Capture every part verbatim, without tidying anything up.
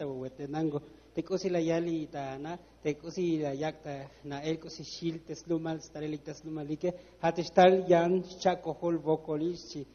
Awewetenango. Te k'usi la yal ta na, te k'usi la yak' ta na'el k'usi xil te slumal stalelik ta slumalike, ja' te xtal yan xcha'kojol wokolil xchi.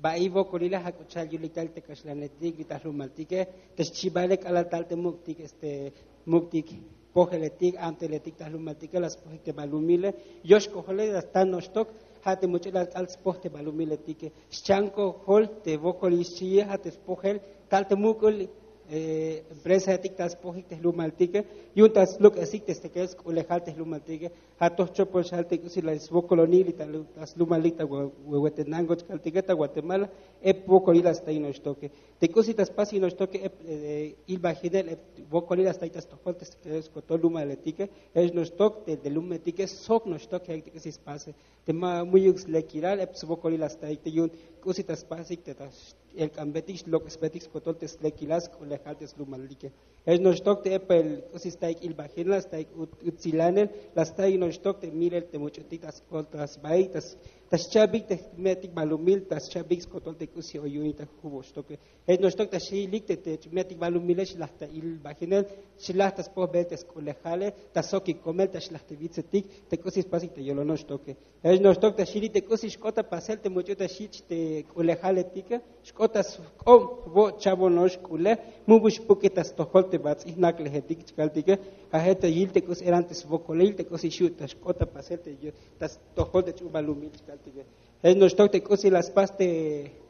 Ba'i wokolile ja' k'u cha'al yulik tal te kaxlanetik bi ta jlumaltike, te xchibale k'alal tal te muk'tik este muk'tik pojeletik, amteletik ta jlumaltike, la spojik te balumile, yoxkojole la sta noxtok, ja' te much'ulal k'al spoj te balumiletike, xchankojol te wokolil xchiye, ja' te spojel tal te muk'ul eh, empresaetik ta spojik te jlumaltike, yu'un ta sluk'esik te stekel sk'ulejal te jlumaltike, ja' toj chopol xal te k'usi la swokolonik li ta lu- ta slumalik ta we- wewetenango chkaltike ta Guatemala, ep wokolil la staik noxtoke. Te k'usi ta spasik noxtoke ep eh, ilbajinel ep wokolil la staik ta stojol te stekel skotol lumaletike, jech noxtok te te lumetike sok noxtok jek te k'usi spase. Te ma mu'yuk slekilal ep swokolil la staik te yu'un k'usi ta spasik te ta elk'anbetik xlok'esbetik skotol te slekilal sk'ulejal te slumaltike. Jech noxtok te ep el k'usi staik ilbajinel, la staik ut- utsilanel, la staik noxtok te milel te much'utik ta skol ta sbaik ta s- ta xcha'bik te jme'tik balumil, ta xcha'bik skotol te k'usi oyunik ta jujun noxtoke. Jech noxtok ta xilik te te ch'umetik balumile xlaj ta ilbajinel, xlaj ta spojbel te sk'ulejale, ta sokik komel, ta xlaj te bitsetik te k'usi spasik ta yolon noxtoke. Jech noxtok ta xilik te k'usi xk'ot ta pasel te much'u ta xich' te k'ulejaletike, xk'ot ta sk'ob wo' cha'bon nox k'ulej, mubul xpuk'ik ta stojol te bats'il jnaklejetik chkaltike. Ja' je' ta yil te k'usi eran te swokolil te k'usi xu' ta xk'ot ta pasel te ta stojol te ch'u balumil chkaltike. Jech noxtok te k'usi la spas te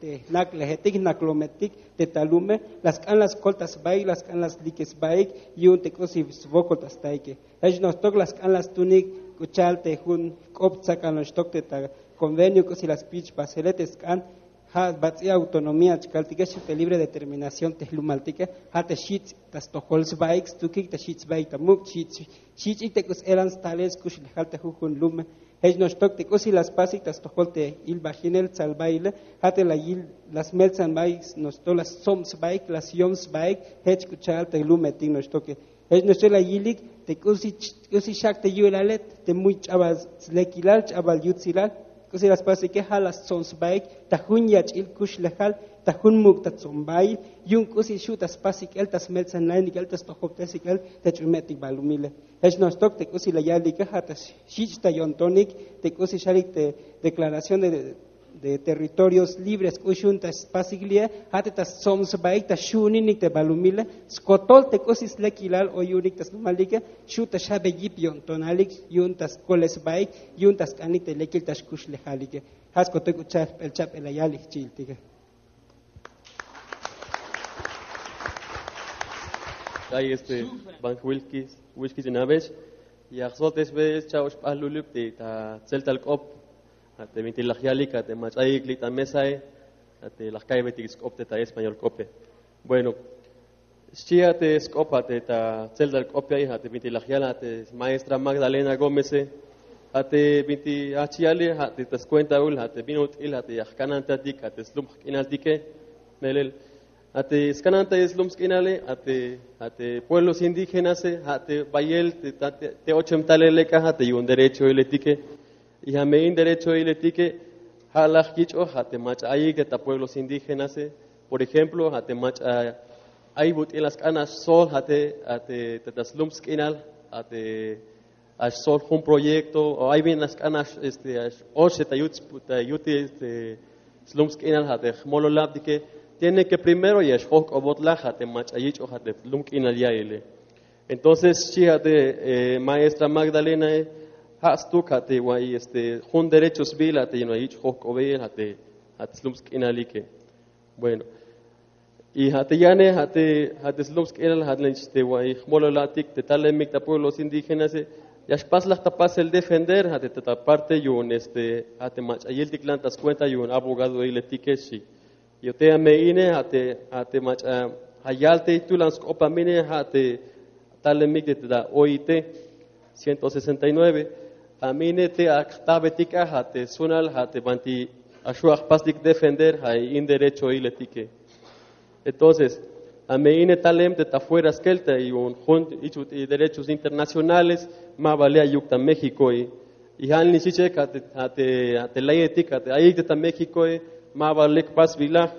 te jnaklejetik, jnaklometik te ta lume, la sk'an la skol ta sbaik, la sk'an la slikes sbaik yu'un te k'usi swokol ta staike. Jech noxtok la sk'an la stunik k'u cha'al te jun k'op tsakal noxtok te ta convenio k'usi la spich pasele te sk'an ja' bats'il autonomía chkaltike xchi te libre determinación te jlumaltike, ja' te xich' ta stojol sbaik, stukik ta xich' sbaik ta muk', xich' xich' ik te k'usi eran stalel skuxlejal te jujun lume. Jech noxtok te k'usi la spasik ta stojol te ilbajinel tsalbaile, ja' te la yil la smeltsan baik noxtok la stsob sbaik, la syom sbaik jech k'u cha'al te lumetik noxtoke. Jech noxtok la yilik te k'usi ch- k'usi xak' te yu'lale te muy ch'abal slekilal, ch'abal yutsilal, k'usi la spasike ja' la stsob sbaik ta jun yach'il kuxlejal, ta jun muk' ta tsombail, yu'un k'usi xu' ta spasik el ta smeltsananik el ta stojobtesik el te ch'umetik balumile. Jech noxtok te k'usi la yalike ja' ta xich' ta yo'ntonik te k'usi xalik te declaración de de territorios libres k'ux yu'un ta spasik li'e, ja' te ta stsob sbaik ta xju'uninik te balumile skotol te k'usi slekilal o yu'unik ta slumalike, xu' ta xjabe yip yo'ntonalik yu'un ta skole sbaik, yu'un ta sk'anik te lekil ta xkuxlejalike. Ja' skotol k'u cha'al jp'el cha'p'el la yalik jchi'iltike. Ay este, bank Wilkis, Wilkis Inabex, ya jsoltesbe cha'ox p'aj lulub te ta tseltal k'op, a te binti laj yalik a te mach'ayik li' ta mesae, a te laj ka'ybetik sk'op te ta español k'ope. Bueno, xchi a te sk'op a te ta tseltal k'op ya'i, a te binti laj yal a te maestra Magdalena Gómeze, a te binti a chi yale, a te ta skuentaul a te bin ut'il a te ya jkanantatik a te slum jk'inaltike, melel a te skanantayel slum sk'inale, a te a te pueblos indígenase, a te bayel te ta- te ochem talel lek a te yu'un derechohiletike. Y a me in derechohiletike, ja' laj yich'oj a te mach'a ayik te ta pueblos indígenase. Por ejemplo, a te mach'a ay but'il a sk'an a xsol a te a te ta slum sk'inal, a te a xsol jun proyecto, o ay bin a sk'an a x- este a x- oxe ta yut ta yut este slum sk'inal a te jmololabtike, tiene que primero ya xjojk'obot laj a te mach'a yich'oj a te slum k'inal ya'ile. Entonces xchi a te eh, maestra Magdalena, eh, ja' stuk a te wa'i este jun derecho sbiil a te yu'un a yich' jojk'obeyel a te a te slum sk'inalike. Bueno, y ja' te yane, ja' te ja' te slum sk'inal, ja' te wa'i jmololabtik te talemik ta pueblos indígenase, ya xpas laj ta pasel defender a te ta parte yu'un este a te mach'a yiltik lan ta skuenta yu'un abogadohiletike xchi. Yo te a me ine a te a te mach'a ja' yal te tulan sk'op a me ine, ja' te talemik te ta OIT ciento sesenta y nueve. A me ine te ak jtabetik a a te sunal a te banti a xu' a jpastik defender a in derechohiletike. Entonces a me ine talem te ta fuera skel te yu'un jun ich'ut y derechos internacionales, ma ba le' ayuk ta México. Y ja' nix ich'ek a te a te a te leyetik a te ayik te ta México, ma ba lek pasbilaj.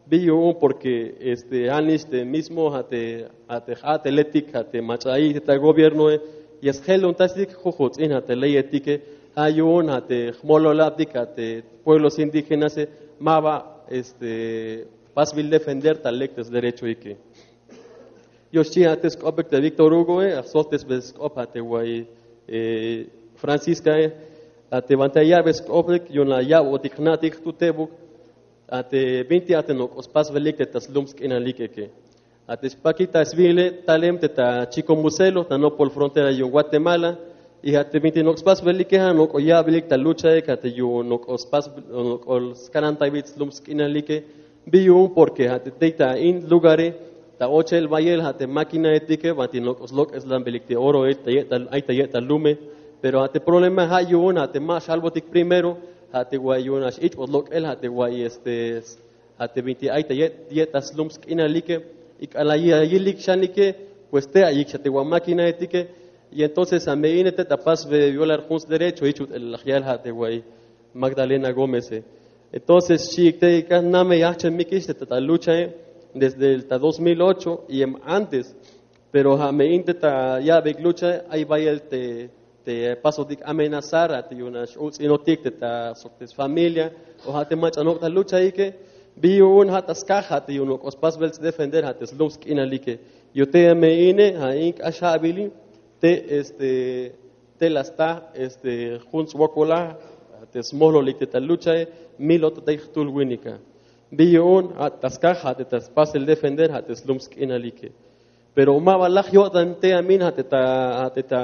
Bi yu'un porque este ja' nix te mismo ja' te ja' te ja'teletik ja' te mach'a ayik te ta gobiernoe, ya sjelontastik jujuts'in ja' te leyetike. Ja' yu'un ja' te jmololabtik ja' te pueblos indígenase ma ba este pasbil defender ta lek te sderechoike. Yoxchi ja' te sk'opik te Víctor Hugoe, ja' stojtesbe sk'op ja' te way Franciscae, ja' te banti ya ya'be sk'opik yu'un la ya'botik jna'tik jtutebuk, ja' te binti ja' te nok'o spasbelik te ta slum sk'inalikeke. Ja' te xpakik ta sbiile talem te ta Chico Muselo ta nopol frontera yu'un Guatemala. Y ja' te binti nok'o spasbelike ja' nok'o ya'belik ta luchae ja' te yu'un nok'o spas nok'o skanantaybeyik slum sk'inalike. Bi yu'un porque ja' te tey ta in lugare ta ochel bayel ja' te máquinaetike banti nok'o slok'eslanbelik te oroe ta ye'tal ay ta ye'tal lume. Pero ja' te problema ja' yu'un ja' te ma xalbotik primero ja' te way yu'un ja' x-ich'bot lok'el ja' te way este ja' te binti ay ta ye'tal slum sk'inalike. Y k'alal ya yilik xanike pues te ayik xa te wa máquinaetike. Y entonces ja' me ine te ta pasbe violar jun sderecho jich ut'el laj yal ja' te way Magdalena Gómeze. Entonces xi'ik te ik'a name yajchemikix te ta luchae desde el ta dos mil ocho y em antes. Pero ja' me in te ta ya'beyik luchae ay bayel te te pasotik amenazar ja' te yu'un nax uts'inotik te ta sok te sfamilia o ja' te mach'a nok' ta luchaike. Bi yu'un ja' ta skaj ja' te yu'un nok'o spasbel sdefender ja' te slum sk'inalike. Yo te me ine ja' in k'ax ja'bili te este te la sta este jun swokolaj ja' te smojlolik te ta luchae. Milot tey jtul winika. Bi yu'un ja' ta skaj ja' te ta spasel defender ja' te slum sk'inalike. Pero ma ba laj yo'tan te amin ja' te ta ja' te ta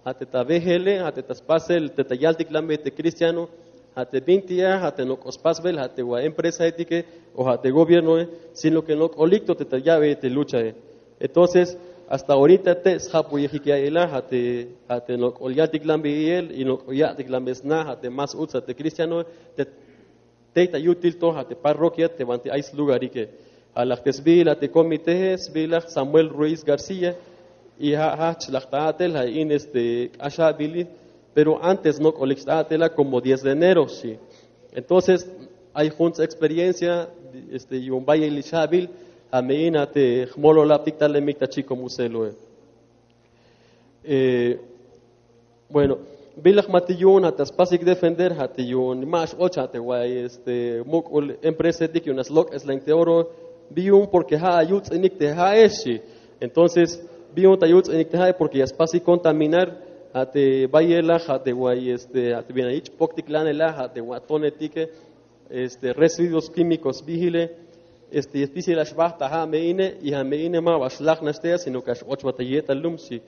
ja' te ta bejele ja' te ta spasel te ta yaltiklanbey te cristiano ja' te binti a ja' te nok'o spasbel ja' te wa empresaetike o ja' te gobiernoe, sino que nok'olik to te ta ya'bey te luchae. Entonces hasta orita te sjapuyejik ya'iyela ja' te ja' te nok'ol yaltiklanbey iyel y nok'ol ya'tiklanbey sna ja' te más uts ja' te cristianoe te tey ta yutil to ja' te parroquia te banti ay slugarike. Ja' laj te sbiil ja' te comitee sbiil laj Samuel Ruiz García. Y ja' jajch laj ta a'tel ja' in este k'ax ja'bili. Pero antes nok'olik xt'a'tela como diez de enero xchi. Entonces ay junts experiencia este yu'un bayel ix ja'bil ja' me in ja' te jmololabtik talemik ta Chico Museloe. Bueno, bilaj ma te yu'un ja' ta spasik defender ja' te yu'un ma x-och ja' te way este muk'ul empresaetik yu'un nax lok'eslan te oro. Bi yu'un porque ja' ayuts'inik te ja'ex xchi. Entonces bi yu'un ta yuts'inik te ja'e porque ya spasik contaminar ja' te bayelaj ja' te way este ja' te bin ayich' poktiklanelaj ja' te wa tonetike este residuos químicos bijile. Este spisil ax bajt' ta ja' me ine y ja' me ine ma ba xlaj nax te a sino que ax och ba ta ye'tal lum xchi.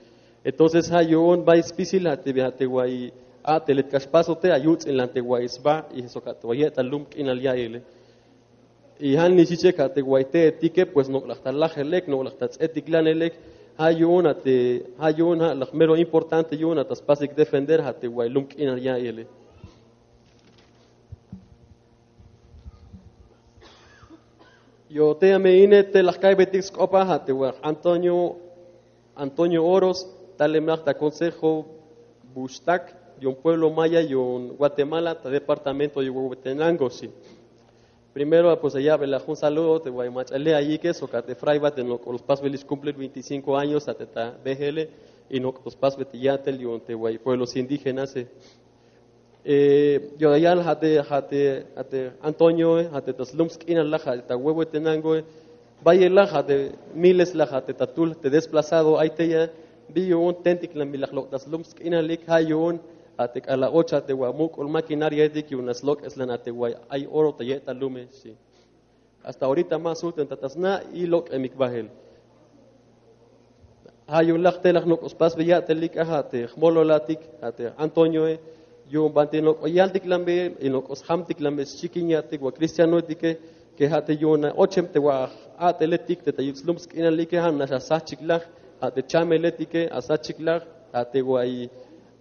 Entonces ja' yu'un bay spisil ja' te ja' te way a'telet k'ax paso te ayuts'inlan te way sba y sok ja' te way ye'tal lum k'inal ya'iyele. Y ja' nix ichek ja' te way te'etike pues nok'laj ta lajelek nok'laj ta ts'etiklanelek. Ja' yu'un ja' te ja' yu'un ja' laj mero importante yu'un ja' ta spasik defender ja' te way lum k'inal ya'iyele. Yo te ya me ine te laj ka'ybeytik sk'opa ja' te wa Antonio Antonio Oros, talem laj ta consejo Buxtak yu'un pueblo maya yu'un Guatemala ta departamento yu'un Huehuetenango xchi. Primero pues ya ya'belaj jun saludo te way mach'a le' ayike sok a te fraybat te nok'ol spasbelix cumplir veinticinco años a te ta bejele y nok'ol spasbel te ya'tel yu'un te way pueblos indígenase. Yo ya yal ja' te ja' te ja' te Antonioe ja' te ta slum sk'inal laj ja' te ta Huehuetenangoe. Bayelaj ja' te miles laj ja' te ta tul te desplazado ay tey a. Bi yu'un tentiklan bi laj lok' ta slum sk'inalik ja' yu'un ja' te k'alal och ja' te wa muk'ul maquinariaetik yu'un nax lok'eslan ja' te way ay oro ta ye'tal lume xchi. Hasta orita ma sujten ta ta sna' y lok'emik bael. Ja' yu'un laj te laj nok'o spasbey ya'telik a ja' te jmololatik ja' te Antonioe. Yu'un banti nok'o yaltiklanbey y nok'o sjamtiklanbey xchikin ya'tik wa cristianoetike ke ja' te yu'un ochem te wa a'teletik te ta yich' slum sk'inalike ja' nax asajchik laj ja' te chameletike asajchik laj ja' te way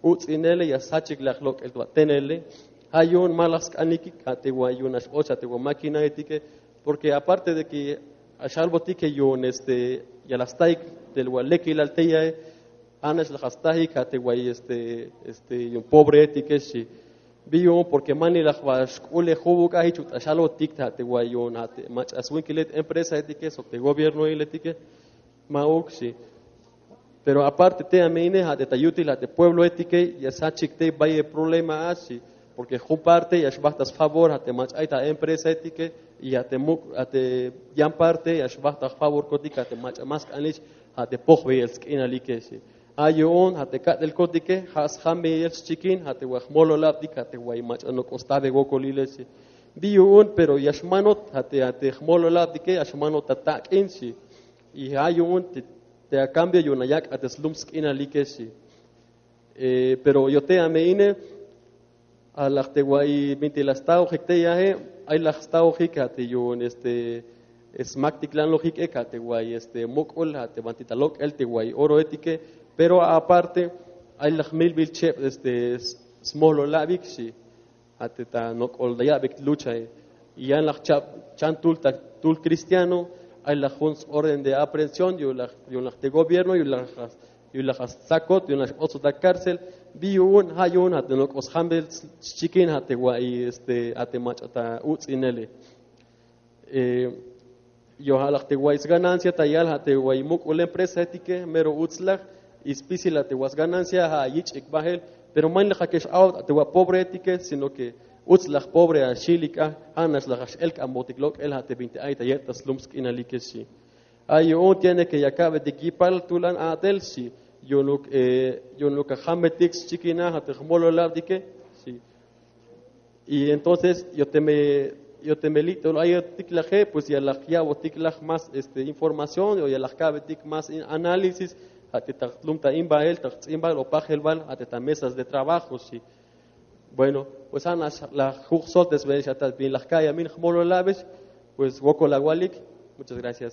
uts'inele y asajchik laj lok'el wa tenele. Ja' yu'un ma laj sk'anikik ja' te way yu'un nax och ja' te wa maquinaetike. Porque aparte de que axalbotik yu'un este ya la staik te wa lekilal tey a. Ja' nax laj astajik ja' te way este este yu'un pobreetike xchi. Bi yu'un, porque manilaj ba xk'ule jubuk a jich ut'axalotik ta te wayon a te mach'a swinkilet empresaetike sok te gobiernoiletike. Ma'uk xi. Pero aparte te a me ine a te ta yutil a te puebloetike ya sjachik te bayel problema a xi. Porque jun parte ya xbajt ta sfavor a te mach'a ay ta empresaetike y a te muk' a te yan parte ya xbajt ta jfavorkotik a te mach'a ma sk'anix a te pojbeyel sk'inalike xi. A yu'un a te ka'telkotike ja' sjambeyel xchikin a te wa jmololabtik a te way mach'a nok'o stabe wokolile xi. Bi yu'un, pero ya xmanot a te a te jmololabtike ya xmanot ta tak'in xi. Y ja' yu'un te, te a cambio yu'un a yak' a te slum sk'inalike xi. Eh, pero yo'te a me ine a laj te wa'i minti' la staojik te yaje. Ay laj staojik a te yu'un este smaktiklanlojik ek a te wa'i este muk'ul a te banti ta lok'el te wa'i oroetike. Pero aparte ay laj milbil cheb este smololabik xi. A te ta nok'ol la ya'bik luchae. Y yan laj chab chan tul ta tul cristiano ay laj jun orden de aprehensión yu'un laj yu'un laj te gobierno yu'un laj yu'un laj a stsakot yu'un laj xb'otsot a cárcel. Bi yu'un ja' yu'un a te nok'o sjambel xchikin a te wa'i este a te mach'a ta uts'inele. Yo ja' laj te wa'i sganancia ta yal a te wa'i muk'ul empresaetike mero uts laj. Y spisil a te wa sganancia ja' yich'ik bajel. Pero manilaj a ke x'a'ot a te wa pobreetike sino ke uts laj pobre a xilik a ja' nax laj a x'elk'anbotik lok'el a te binti ay ta yet ta slum sk'inalike xi. A yu'un tiene ke ya ka'betik yipal tulan a'tel xi. Yu'unuk eh, yu'unuk a jambetik xchikinaj a te jmololabtike xi. Y entonces yo'teme yo'teme li't'ol ayotik laje pues ya laj ya'botik laj más este información o ya laj ka'betik más análisis a te ta jtlum ta in bahel ta jts'in bahel o pajel bahel a te ta mesas de trabajo xi. Bueno, pues ja' nax laj juj' soltes bel xa ta bin laj ka'yamin jmololabix. Pues wokol awalik. Muchas gracias.